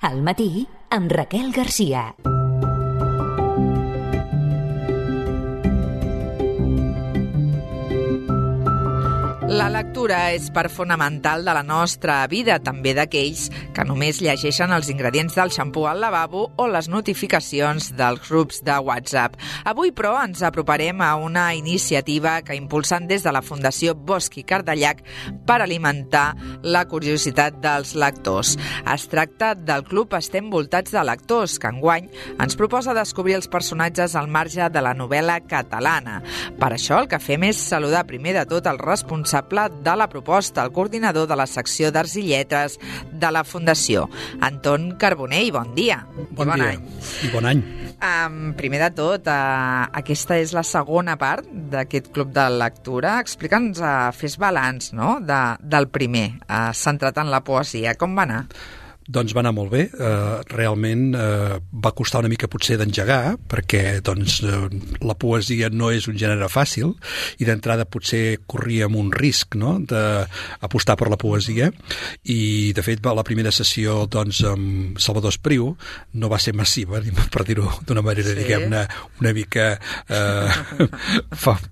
Al matí, amb Raquel Garcia. La lectura és part fonamental de la nostra vida, també d'aquells que només llegeixen els ingredients del xampú al lavabo o les notificacions dels grups de WhatsApp. Avui, però, ens aproparem a una iniciativa que impulsen des de la Fundació Bosch i Cardellac per alimentar la curiositat dels lectors. Es tracta del Club Estem voltats de lectors, que enguany ens proposa descobrir els personatges al marge de la novel·la catalana. Per això el que fem és saludar primer de tot el responsable de la proposta, el coordinador de la secció d'Arts i Lletres de la Fundació, Anton Carbonell. Bon dia. Bon dia. Any. I bon any. Primer de tot, aquesta és la segona part d'aquest club de lectura. Explica'ns, fes balanç, no?, del primer, centrat en la poesia. Com va anar? Doncs va anar molt bé. Realment va costar una mica potser d'engegar, perquè doncs, la poesia no és un gènere fàcil i d'entrada potser corríem un risc, no?, d'apostar per la poesia, i de fet la primera sessió doncs, amb Salvador Espriu no va ser massiva, per dir-ho d'una manera, sí, diguem-ne, una mica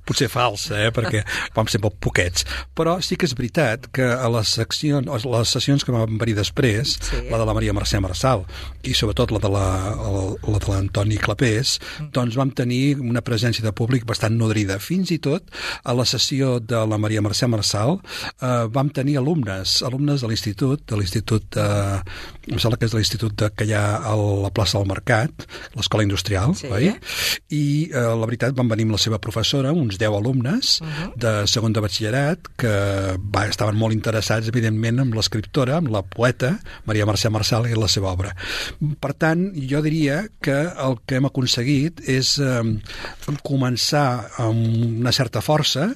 potser falsa, perquè vam ser molt poquets. Però sí que és veritat que a les sessions que van venir després, sí, la de la Maria Mercè Marçal i sobretot la de l'Antoni Clapés, doncs vam tenir una presència de públic bastant nodrida. Fins i tot a la sessió de la Maria Mercè Marçal vam tenir alumnes de l'institut, em sembla que és de l'institut que hi ha a la plaça del Mercat, l'Escola Industrial, sí, oi? I la veritat van venir amb la seva professora, uns 10 alumnes de segon de batxillerat, que estaven molt interessats, evidentment, amb l'escriptora, amb la poeta Maria Mercè Marçal i la seva obra. Per tant, jo diria que el que hem aconseguit és començar amb una certa força,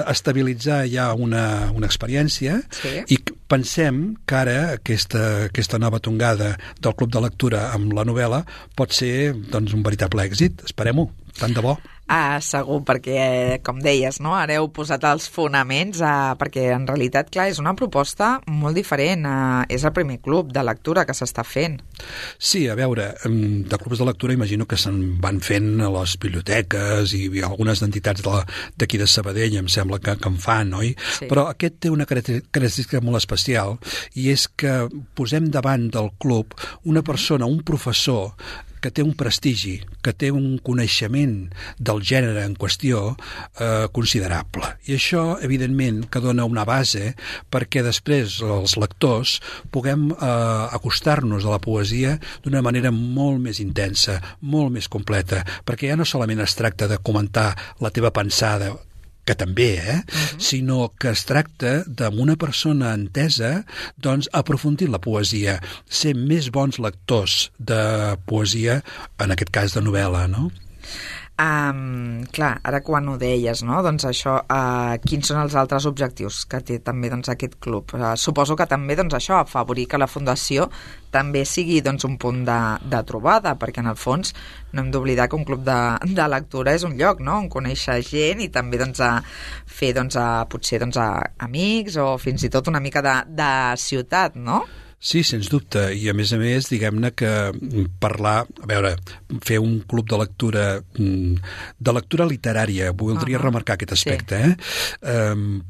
estabilitzar ja una experiència, sí, i pensem que ara aquesta nova tongada del Club de Lectura amb la novel·la pot ser doncs, un veritable èxit. Esperem-ho, tant de bo. Segur, perquè, com deies, no?, ara heu posat els fonaments, perquè en realitat, clar, és una proposta molt diferent. És el primer club de lectura que s'està fent. Sí, a veure, de clubs de lectura imagino que se'n van fent a les biblioteques i algunes entitats d'aquí de Sabadell, em sembla que en fan, oi? Sí. Però aquest té una característica molt especial, i és que posem davant del club una persona, un professor, que té un prestigi, que té un coneixement del gènere en qüestió considerable. I això, evidentment, que dona una base perquè després els lectors puguem acostar-nos a la poesia d'una manera molt més intensa, molt més completa, perquè ja no solament es tracta de comentar la teva pensada, que també, sinó que es tracta d'una persona entesa, doncs, aprofundir la poesia, ser més bons lectors de poesia, en aquest cas de novel·la, no? Clar, ara quan ho deies, no?, doncs això, quins són els altres objectius que té també doncs, aquest club? Suposo que també doncs, això, afavorir que la Fundació també sigui doncs, un punt de trobada, perquè en el fons no hem d'oblidar que un club de lectura és un lloc, no?, on conèixer gent i també doncs, fer potser amics o fins i tot una mica de ciutat, no? Sí, sens dubte, i a més, diguem-ne que parlar, a veure, fer un club de lectura literària, voldria remarcar aquest aspecte, sí.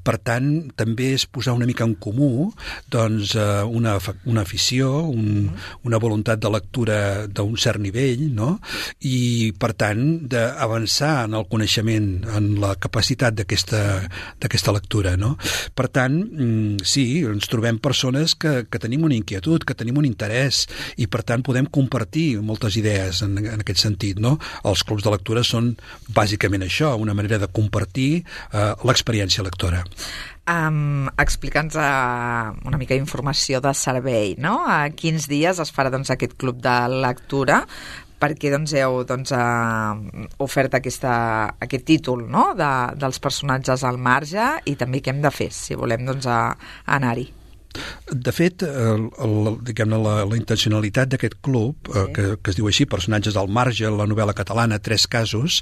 Per tant, també és posar una mica en comú doncs, una afició, una voluntat de lectura d'un cert nivell, no?, i per tant d'avançar en el coneixement, en la capacitat d'aquesta lectura, no? Per tant, sí, ens trobem persones que tenim una inquietud, que tenim un interès, i per tant podem compartir moltes idees en aquest sentit, no? Els clubs de lectura són bàsicament això, una manera de compartir l'experiència lectora. Explica'ns una mica d'informació de servei, no? A quins dies es farà doncs, aquest club de lectura, perquè doncs, heu ofert aquest títol, no?, dels personatges al marge, i també què hem de fer si volem doncs, anar-hi. De fet, diguem-ne, la intencionalitat d'aquest club, que es diu així, Personatges al marge, la novel·la catalana, 3 casos,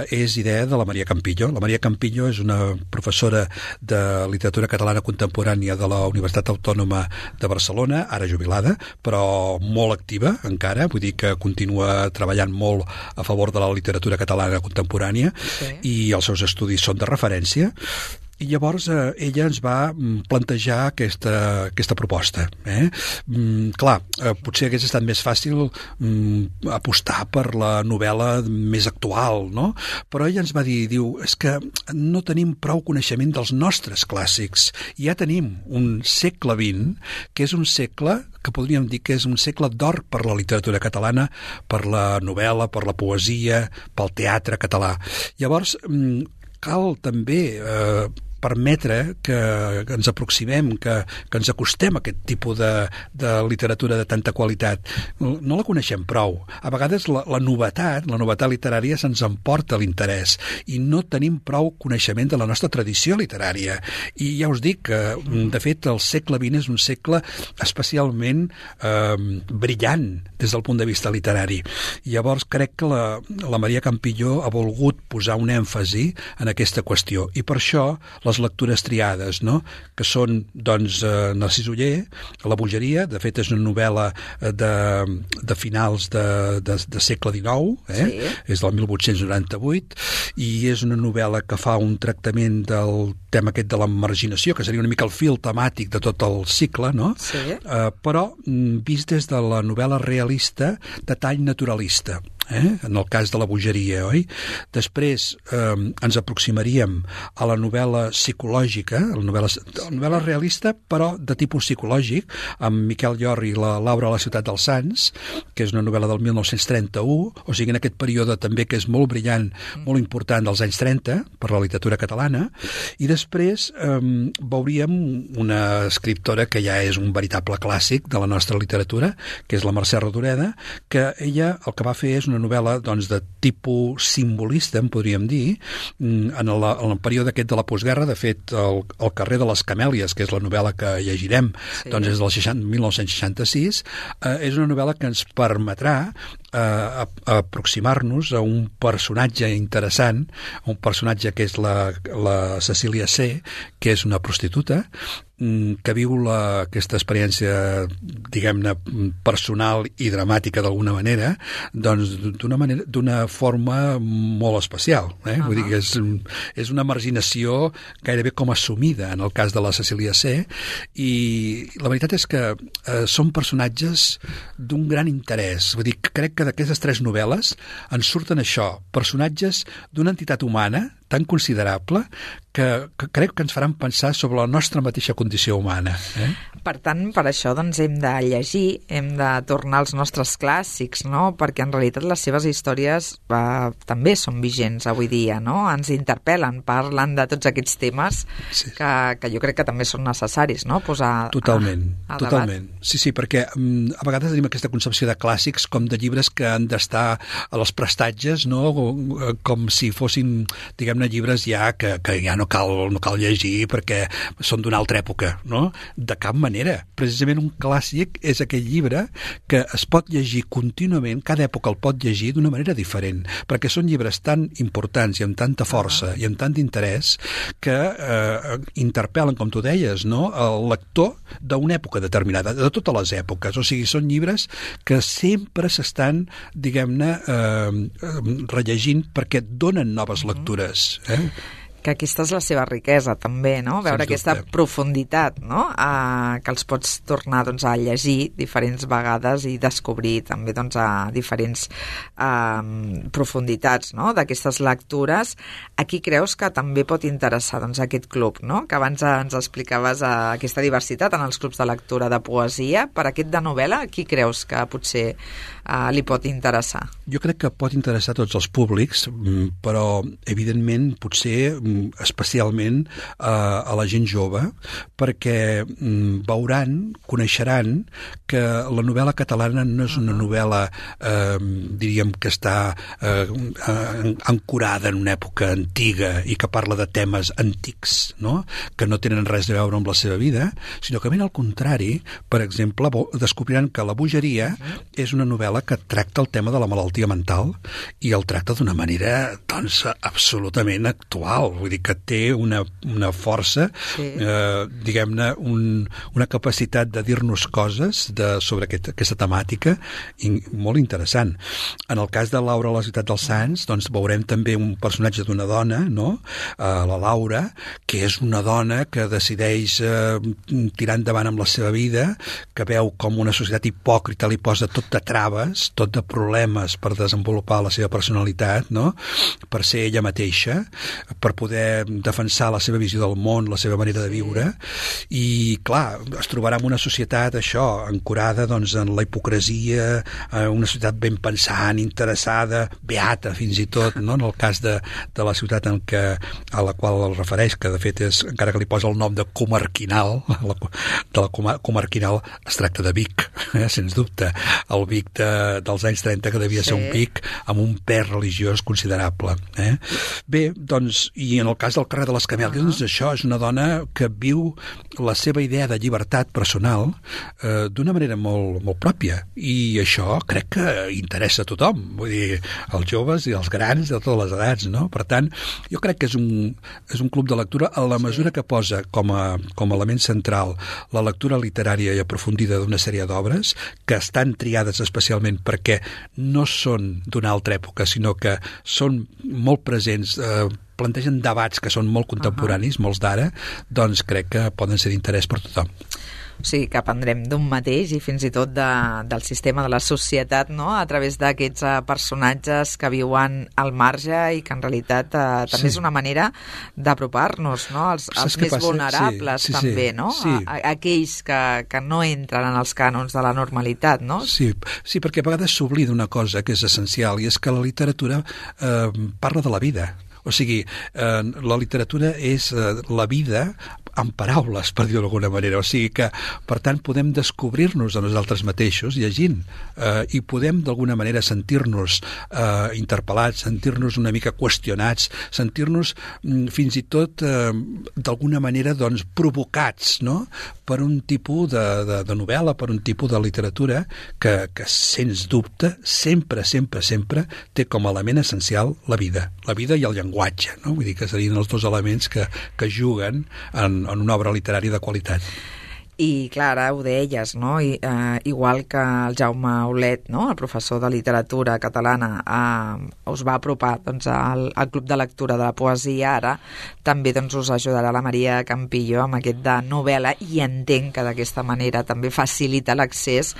és idea de la Maria Campillo. La Maria Campillo és una professora de literatura catalana contemporània de la Universitat Autònoma de Barcelona, ara jubilada, però molt activa encara, vull dir que continua treballant molt a favor de la literatura catalana contemporània, i els seus estudis són de referència. I llavors ella ens va plantejar aquesta proposta. Clar, potser hagués estat més fàcil apostar per la novel·la més actual, no? Però ella ens va dir, és que no tenim prou coneixement dels nostres clàssics. Ja tenim un segle XX, que és un segle que podríem dir que és un segle d'or per la literatura catalana, per la novel·la, per la poesia, pel teatre català. Llavors, cal també permetre que ens aproximem, que ens acostem a aquest tipus de literatura de tanta qualitat. No la coneixem prou. A vegades la novetat literària se'ns emporta l'interès i no tenim prou coneixement de la nostra tradició literària. I ja us dic que, de fet, el segle XX és un segle especialment brillant des del punt de vista literari. I llavors crec que la Maria Campillo ha volgut posar un èmfasi en aquesta qüestió. I per això les lectures triades, no? Que són, doncs, Narcís Oller, La bogeria, de fet és una novel·la de finals de segle XIX, és del 1898, i és una novel·la que fa un tractament del tema aquest de la marginació, que seria una mica el fil temàtic de tot el cicle, no? Però vist des de la novel·la realista de tall naturalista. En el cas de La bogeria, oi? Després ens aproximaríem a la novel·la psicològica, la novel·la realista, però de tipus psicològic, amb Miquel Llorri i la Laura a la ciutat dels Sants, que és una novel·la del 1931, o sigui, en aquest període també que és molt brillant, molt important dels anys 30 per la literatura catalana, i després veuríem una escriptora que ja és un veritable clàssic de la nostra literatura, que és la Mercè Rodoreda, que ella el que va fer és una novel·la, doncs, de tipus simbolista, en podríem dir, en el període aquest de la postguerra. De fet, el carrer de les Camèlies, que és la novel·la que llegirem, doncs és del 1966, és una novel·la que ens permetrà aproximar-nos a un personatge interessant, un personatge que és la Cecília C., que és una prostituta, que viu aquesta experiència, diguem-ne, personal i dramàtica d'alguna manera, doncs d'una forma molt especial. Vull dir que és una marginació gairebé com assumida en el cas de la Cecília C., i la veritat és que són personatges d'un gran interès. Vull dir que crec que d'aquestes 3 novel·les en surten això, personatges d'una entitat humana tan considerable que crec que ens faran pensar sobre la nostra mateixa condició humana. Per tant, per això doncs, hem de llegir, hem de tornar als nostres clàssics, no? Perquè en realitat les seves històries també són vigents avui dia, no? Ens interpel·len, parlen de tots aquests temes que jo crec que també són necessaris, no? Posar totalment. Debat. Sí, perquè a vegades tenim aquesta concepció de clàssics com de llibres que han d'estar a les prestatges, no? Com si fossin, diguem-ne, llibres ja que ja no cal llegir perquè són d'una altra època, no? De cap manera. Precisament un clàssic és aquell llibre que es pot llegir contínuament, cada època el pot llegir d'una manera diferent, perquè són llibres tan importants i amb tanta força i amb tant d'interès que interpel·len, com tu deies, no? El lector d'una època determinada, de totes les èpoques. O sigui, són llibres que sempre s'estan, diguem-ne, rellegint perquè donen noves lectures. Que aquesta és la seva riquesa també, no? Veure aquesta profunditat, no? Que els pots tornar, doncs, a llegir diferents vegades i descobrir també, doncs, a diferents profunditats, no? D'aquestes lectures. A qui creus que també pot interessar, doncs, aquest club, no? Que abans ens explicaves aquesta diversitat en els clubs de lectura de poesia. Per aquest de novel·la, a qui creus que potser li pot interessar? Jo crec que pot interessar a tots els públics, però evidentment potser especialment a la gent jove, perquè coneixeran que la novel·la catalana no és una novel·la, diríem, que està ancorada en una època antiga i que parla de temes antics, no? Que no tenen res a veure amb la seva vida, sinó que ben al contrari, per exemple, descobriran que La bogeria és una novel·la que tracta el tema de la malaltia mental i el tracta d'una manera, doncs, absolutament actual. Vull dir que té una força, diguem-ne, una capacitat de dir-nos coses sobre aquesta temàtica molt interessant. En el cas de Laura a la ciutat dels Sants, doncs veurem també un personatge d'una dona, no? La Laura, que és una dona que decideix tirar endavant amb la seva vida, que veu com una societat hipòcrita li posa tot de traves, tot de problemes per desenvolupar la seva personalitat, no? Per ser ella mateixa, per poder defensar la seva visió del món, la seva manera de viure, i clar, es trobarà en una societat això, ancorada doncs, en la hipocresia, una societat ben pensant, interessada, beata fins i tot, no? En el cas de la ciutat a la qual el refereix, que de fet és, encara que li posa el nom de Comarquinal, de la Comarquinal es tracta de Vic, sens dubte, el Vic dels anys 30, que devia ser un Vic amb un pes religiós considerable. Bé, doncs, i en el cas del carrer de les Camèlies, doncs això és una dona que viu la seva idea de llibertat personal d'una manera molt, molt pròpia, i això crec que interessa a tothom, vull dir, els joves i els grans de totes les edats, no? Per tant, jo crec que és un club de lectura a la mesura que posa com a element central la lectura literària i aprofundida d'una sèrie d'obres que estan triades especialment perquè no són d'una altra època, sinó que són molt presents, plantegen debats que són molt contemporanis, molts d'ara, doncs crec que poden ser d'interès per tothom. O sigui, que aprendrem d'un mateix i fins i tot del sistema de la societat, no? A través d'aquests personatges que viuen al marge i que en realitat també és una manera d'apropar-nos, no? Els més vulnerables també, no? Aquells que no entren en els cànons de la normalitat, no? Sí, perquè a vegades s'oblida una cosa que és essencial, i és que la literatura parla de la vida. O sigui, la literatura és la vida en paraules, per dir-ho d'alguna manera. O sigui que, per tant, podem descobrir-nos a nosaltres mateixos llegint i podem d'alguna manera sentir-nos interpel·lats, sentir-nos una mica qüestionats, sentir-nos fins i tot d'alguna manera doncs, provocats, no? Per un tipus de novel·la, per un tipus de literatura que sens dubte, sempre té com a element essencial la vida i el llenguatge, no? Vull dir que serien els dos elements que juguen en una obra literària de qualitat. I, clar, ara ho deies, no? Igual que el Jaume Aulet, no? El professor de literatura catalana, us va apropar doncs, al club de lectura de la poesia, ara també doncs, us ajudarà la Maria Campillo amb aquest de novel·la, i entenc que d'aquesta manera també facilita l'accés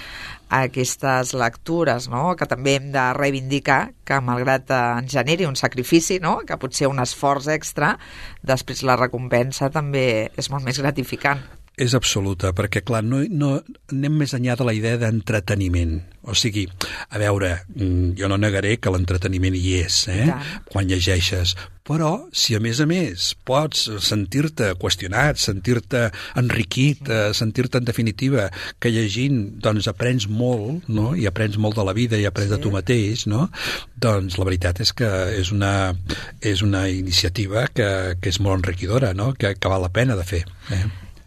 a aquestes lectures, no? Que també hem de reivindicar que malgrat en generi un sacrifici, no? Que potser un esforç extra, després la recompensa també és molt més gratificant. És absoluta, perquè, clar, no anem més enllà de la idea d'entreteniment. O sigui, a veure, jo no negaré que l'entreteniment hi és, quan llegeixes, però si a més pots sentir-te qüestionat, sentir-te enriquit, sentir-te en definitiva que llegint doncs aprens molt, no? I aprens molt de la vida i aprens de tu mateix, no? Doncs la veritat és que és una iniciativa que és molt enriquidora, no? Que val la pena de fer.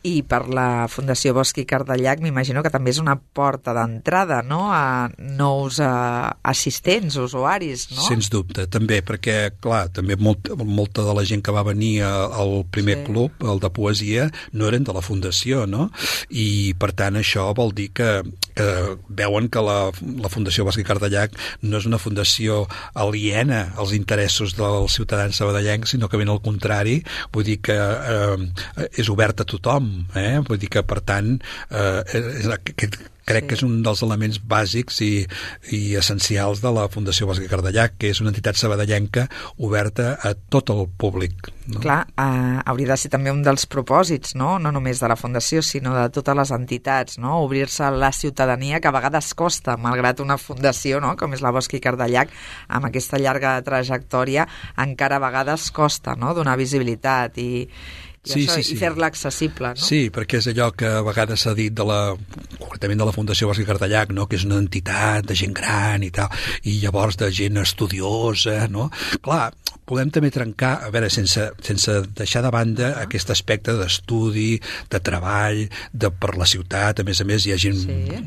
I per la Fundació Bosch i Cardellac m'imagino que també és una porta d'entrada, no? A nous assistents, usuaris, no? Sens dubte, també, perquè, clar, també molta de la gent que va venir al primer club, el de poesia, no eren de la Fundació, no? I, per tant, això vol dir que veuen que la Fundació Bosch i Cardellac no és una fundació aliena als interessos dels ciutadans sabadellencs, sinó que ben al contrari, vull dir que és oberta a tothom, tothom, vull dir que, per tant, crec que és un dels elements bàsics i essencials de la Fundació Bosch i Cardellac, que és una entitat sabadellenca oberta a tot el públic. No? Clar, hauria de ser també un dels propòsits, no només de la Fundació, sinó de totes les entitats, no? Obrir-se a la ciutadania, que a vegades costa, malgrat una fundació, no? Com és la Bosch i Cardellac, amb aquesta llarga trajectòria, encara a vegades costa, no? Donar visibilitat i fer-la accessible, no? Sí, perquè és allò que a vegades s'ha dit concretament de la Fundació Bosch i Cardellac, no? Que és una entitat de gent gran i tal, i llavors de gent estudiosa, no? Clar, podem també trencar, a veure, sense deixar de banda aquest aspecte d'estudi, de treball, per la ciutat. A més, hi ha gent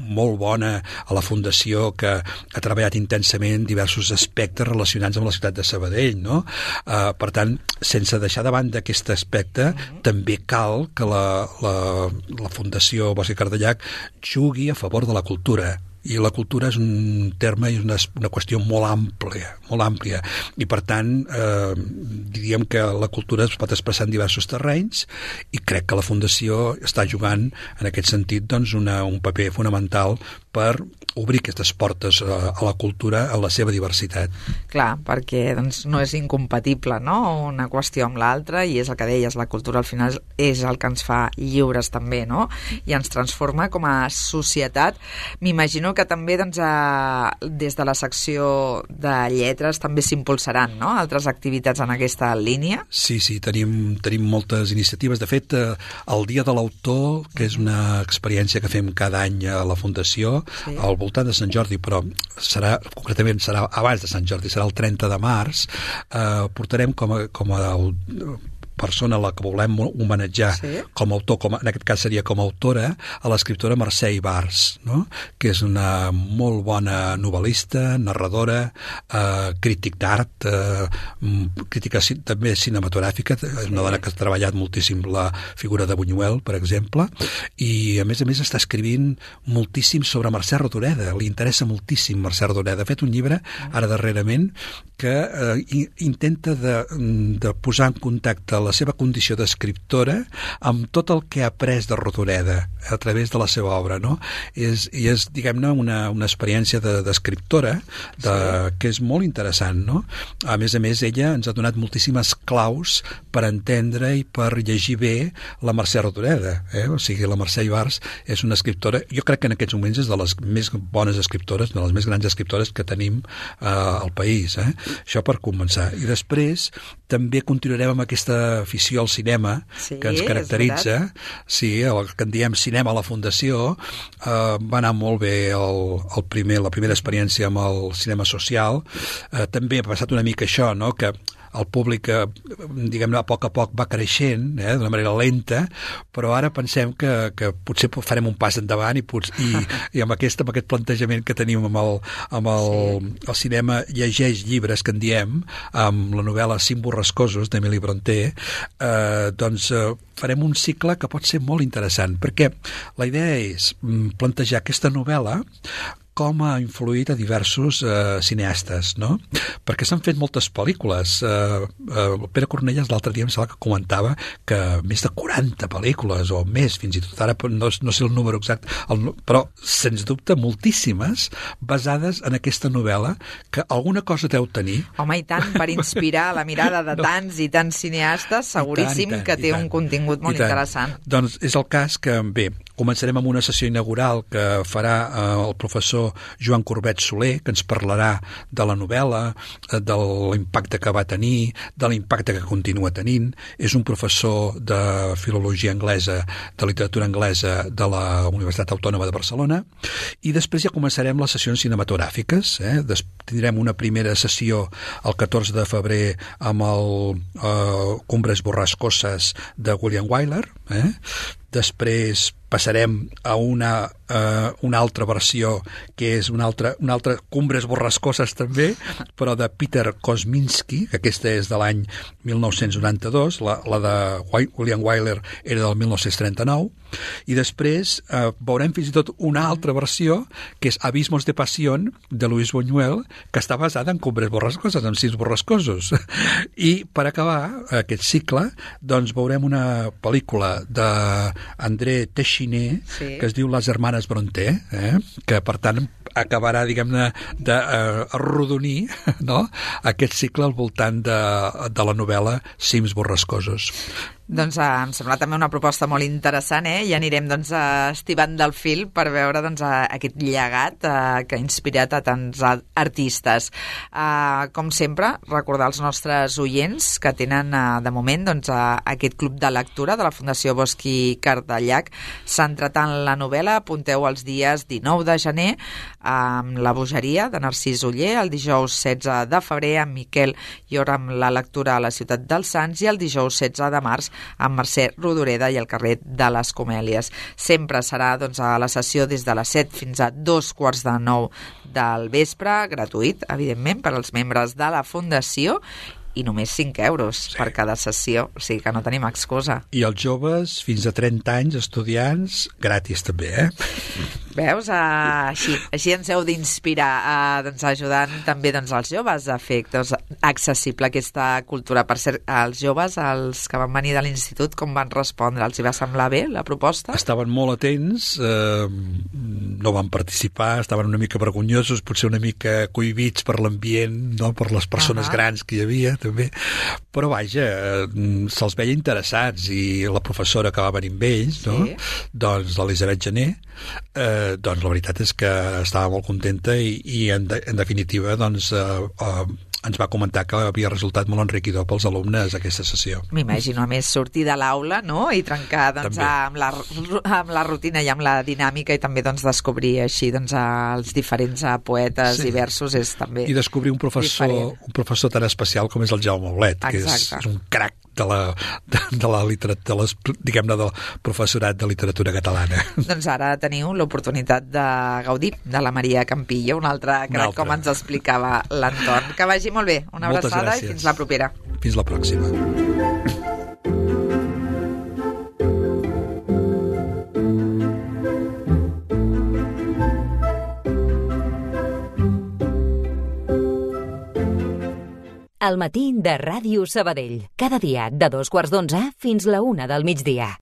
molt bona a la Fundació que ha treballat intensament diversos aspectes relacionats amb la ciutat de Sabadell, no? Per tant, sense deixar de banda aquest aspecte, també cal que la Fundació Bosch i Cardellac jugui a favor de la cultura. I la cultura és un terme i una qüestió molt àmplia. I, per tant, diríem que la cultura es pot expressar en diversos terrenys i crec que la Fundació està jugant, en aquest sentit, doncs, un paper fonamental per obrir aquestes portes a la cultura en la seva diversitat. Clar, perquè doncs, no és incompatible, no?, una qüestió amb l'altra, i és el que deies, la cultura al final és el que ens fa lliures també, no?, i ens transforma com a societat. M'imagino que també doncs, des de la secció de lletres també s'impulsaran, no?, altres activitats en aquesta línia. Sí, tenim moltes iniciatives. De fet, el Dia de l'Autor, que és una experiència que fem cada any a la Fundació, al voltant de Sant Jordi, però concretament serà abans de Sant Jordi, serà el 30 de març, portarem com a persona a la que volem homenatjar com a autor, en aquest cas seria com a autora, a l'escriptora Mercè Ibars, no? Que és una molt bona novel·lista, narradora, crític d'art, crítica també cinematogràfica, és una dona que ha treballat moltíssim la figura de Buñuel, per exemple, i a més està escrivint moltíssim sobre Mercè Rodoreda, li interessa moltíssim Mercè Rodoreda. Ha fet un llibre, ara darrerament, que intenta de posar en contacte la seva condició d'escriptora amb tot el que ha après de Rodoreda a través de la seva obra, no? I és, diguem-ne, una experiència d'escriptora que és molt interessant, no? A més, ella ens ha donat moltíssimes claus per entendre i per llegir bé la Mercè Rodoreda, O sigui, la Mercè Ibars és una escriptora, jo crec que en aquests moments és de les més bones escriptores, de les més grans escriptores que tenim al país, Això per començar. I després també continuarem amb aquesta afició al cinema que ens caracteritza. Sí, el que en diem cinema a la Fundació. Va anar molt bé la primera experiència amb el cinema social. També ha passat una mica això, no?, que el públic, diguem-ne, a poc va creixent, d'una manera lenta, però ara pensem que potser farem un pas endavant i amb aquest plantejament que tenim amb el cinema llegeix llibres, que en diem, amb la novel·la Cinc borrascosos d'Emily Brontë, doncs farem un cicle que pot ser molt interessant, perquè la idea és plantejar aquesta novel·la com ha influït a diversos cineastes, no? Perquè s'han fet moltes pel·lícules. Pere Cornellàs l'altre dia em sembla que comentava que més de 40 pel·lícules, o més, fins i tot ara no sé el número exacte, però sens dubte moltíssimes basades en aquesta novel·la, que alguna cosa deu tenir. Home, i tant, per inspirar la mirada de tants i tants cineastes, seguríssim que té un contingut molt interessant. Doncs és el cas que, bé, començarem amb una sessió inaugural que farà el professor Joan Corbet Soler, que ens parlarà de la novel·la, de l'impacte que va tenir, de l'impacte que continua tenint. És un professor de filologia anglesa, de literatura anglesa de la Universitat Autònoma de Barcelona, i després ja començarem les sessions cinematogràfiques. Tindrem una primera sessió el 14 de febrer amb el Cumbres borrascoses de William Wyler. Després passarem a una altra versió, que és una altra Cumbres borrascoses també, però de Peter Kosminski, que aquesta és de l'any 1992, la de William Wyler era del 1939, i després veurem fins i tot una altra versió, que és Abismos de Pasión, de Luis Buñuel, que està basada en Cumbres borrascoses, en Sis borrascosos. I per acabar aquest cicle, doncs veurem una pel·lícula de André Téchiné, que es diu Les Hermanes Brontë, que per tant acabarà, diguem-ne, d'arrodonir, no?, aquest cicle al voltant de la novel·la Cims borrascosos. Doncs em sembla també una proposta molt interessant, i anirem estibant del fil per veure aquest llegat que ha inspirat a tants artistes. Com sempre, recordar als nostres oients que tenen de moment aquest club de lectura de la Fundació Bosch i Cardellac, centrat en la novel·la. Apunteu els dies 19 de gener amb La bogeria de Narcís Oller, el dijous 16 de febrer amb Miquel Llor amb la lectura a la Ciutat dels Sants i el dijous 16 de març amb Mercè Rodoreda i el carrer de les Comèlies. Sempre serà a la sessió des de les 7 fins a 8:45 del vespre, gratuït, evidentment, per als membres de la Fundació, i només 5 euros per cada sessió, o sigui que no tenim excusa. I els joves, fins a 30 anys, estudiants, gratis també, Veus? Així ens heu d'inspirar, ajudant també els joves a fer accessible aquesta cultura. Per cert, els joves, els que van venir de l'institut, com van respondre? Els hi va semblar bé la proposta? Estaven molt atents, no van participar, estaven una mica vergonyosos, potser una mica cohibits per l'ambient, no?, per les persones grans que hi havia, també, però vaja, se'ls veia interessats, i la professora que va venir amb ells, no?, doncs l'Elisabet Gené, doncs la veritat és que estava molt contenta i en definitiva doncs ens va comentar que havia resultat molt enriquidor pels alumnes aquesta sessió. M'imagino, a més, sortir de l'aula, no?, i trencar amb la rutina i amb la dinàmica, i també descobrir així els diferents poetes i versos és també i descobrir un professor tan especial com és el Jaume Aulet, que és un crac de la literatura, diguem-ne, del professorat de literatura catalana. Doncs ara teniu l'oportunitat de gaudir de la Maria Campillo, un altre crac, com ens explicava l'Anton. Que vagi molt bé, una abraçada i fins la propera. Fins la pròxima. El matí de Ràdio Sabadell. Cada dia de 2:15 fins la 1 del migdia.